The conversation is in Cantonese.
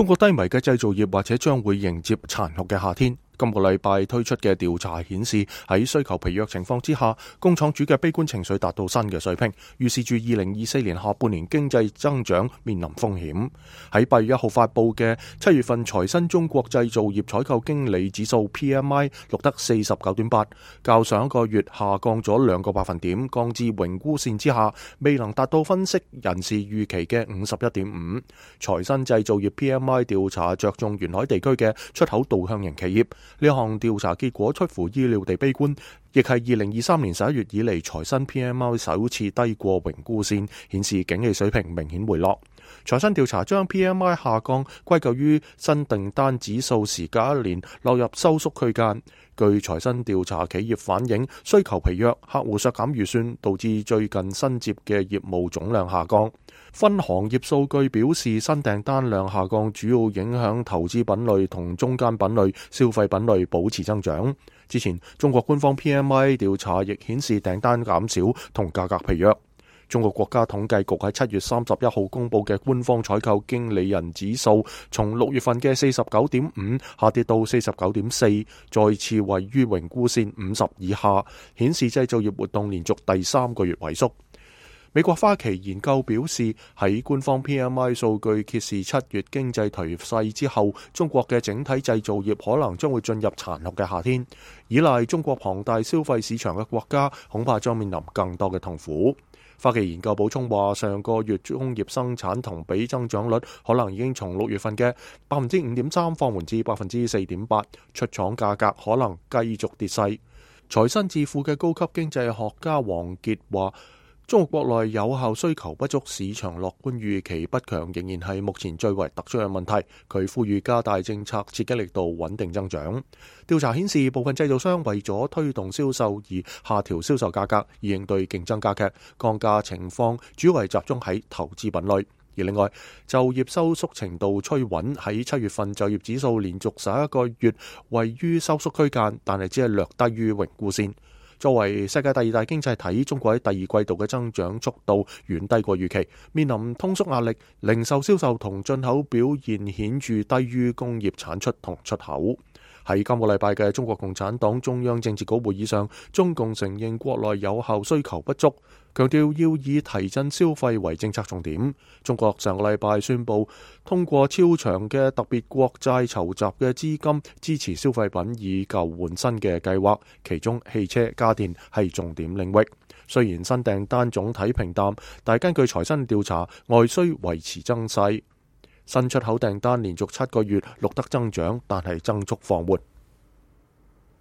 中國低迷嘅製造業或者將會迎接殘酷嘅夏天。今個禮拜推出嘅調查顯示，喺需求疲弱情況之下，工廠主嘅悲觀情緒達到新嘅水平，預示住2024年下半年經濟增長面臨風險。喺8月1號發佈嘅7月份財新中國製造業採購經理指數 PMI 錄得 49.8， 較上一個月下降咗2個百分點，降至榮枯線之下，未能達到分析人士預期嘅 51.5。財新製造業 PMI 調查着重沿海地區嘅出口導向型企業。呢項調查結果出乎意料地悲觀，亦係2023年11月以嚟財新 PMI 首次低過榮枯線，顯示景氣水平明顯回落。財新調查將 PMI 下降歸咎於新訂單指數時隔1年落入收縮區間。據財新調查，企業反映需求疲弱，客戶削減預算，導致最近新接嘅業務總量下降。分行業數據表示，新訂單量下降主要影響投資品類同中間品類、消費品類保持增長。之前中國官方 PMI 調查亦顯示訂單減少同價格疲弱。中國國家統計局喺7月31號公布嘅官方採購經理人指數，從6月份嘅 49.5 下跌到 49.4， 再次位於榮枯線50以下，顯示製造業活動連續第3個月萎縮。美國花旗研究表示，喺官方 PMI 數據揭示7月經濟頹勢之後，中國嘅整體製造業可能將會進入殘酷嘅夏天。依賴中國龐大消費市場嘅國家，恐怕將面臨更多嘅痛苦。花旗研究補充話，上個月工業生產同比增長率可能已經從6月份嘅 5.3% 放緩至 4.8%， 出廠價格可能繼續跌勢。財新智庫嘅高級經濟學家王傑話，中國國內有效需求不足，市場樂觀預期不強，仍然係目前最為突出嘅問題。佢呼籲加大政策刺激力度，穩定增長。調查顯示，部分製造商為咗推動銷售而下調銷售價格，以應對競爭加劇。降價情況主要係集中喺投資品類。而另外，就業收縮程度趨穩，喺7月份就業指數連續11個月位於收縮區間，但係只係略低於榮枯線。作為世界第2大經濟體，中國喺第二季度嘅增長速度遠低過預期，面臨通縮壓力，零售銷售同進口表現顯著低於工業產出同出口。喺今個禮拜嘅中國共產黨中央政治局會議上，中共承認國內有效需求不足，強調要以提振消費為政策重點。中國上個禮拜宣布通過超長嘅特別國債籌集嘅資金支持消費品以舊換新嘅計劃，其中汽車、家電係重點領域。雖然新訂單總體平淡，但根據財新調查，外需維持增勢。新出口訂單連續7個月錄得增長，但係增速放緩。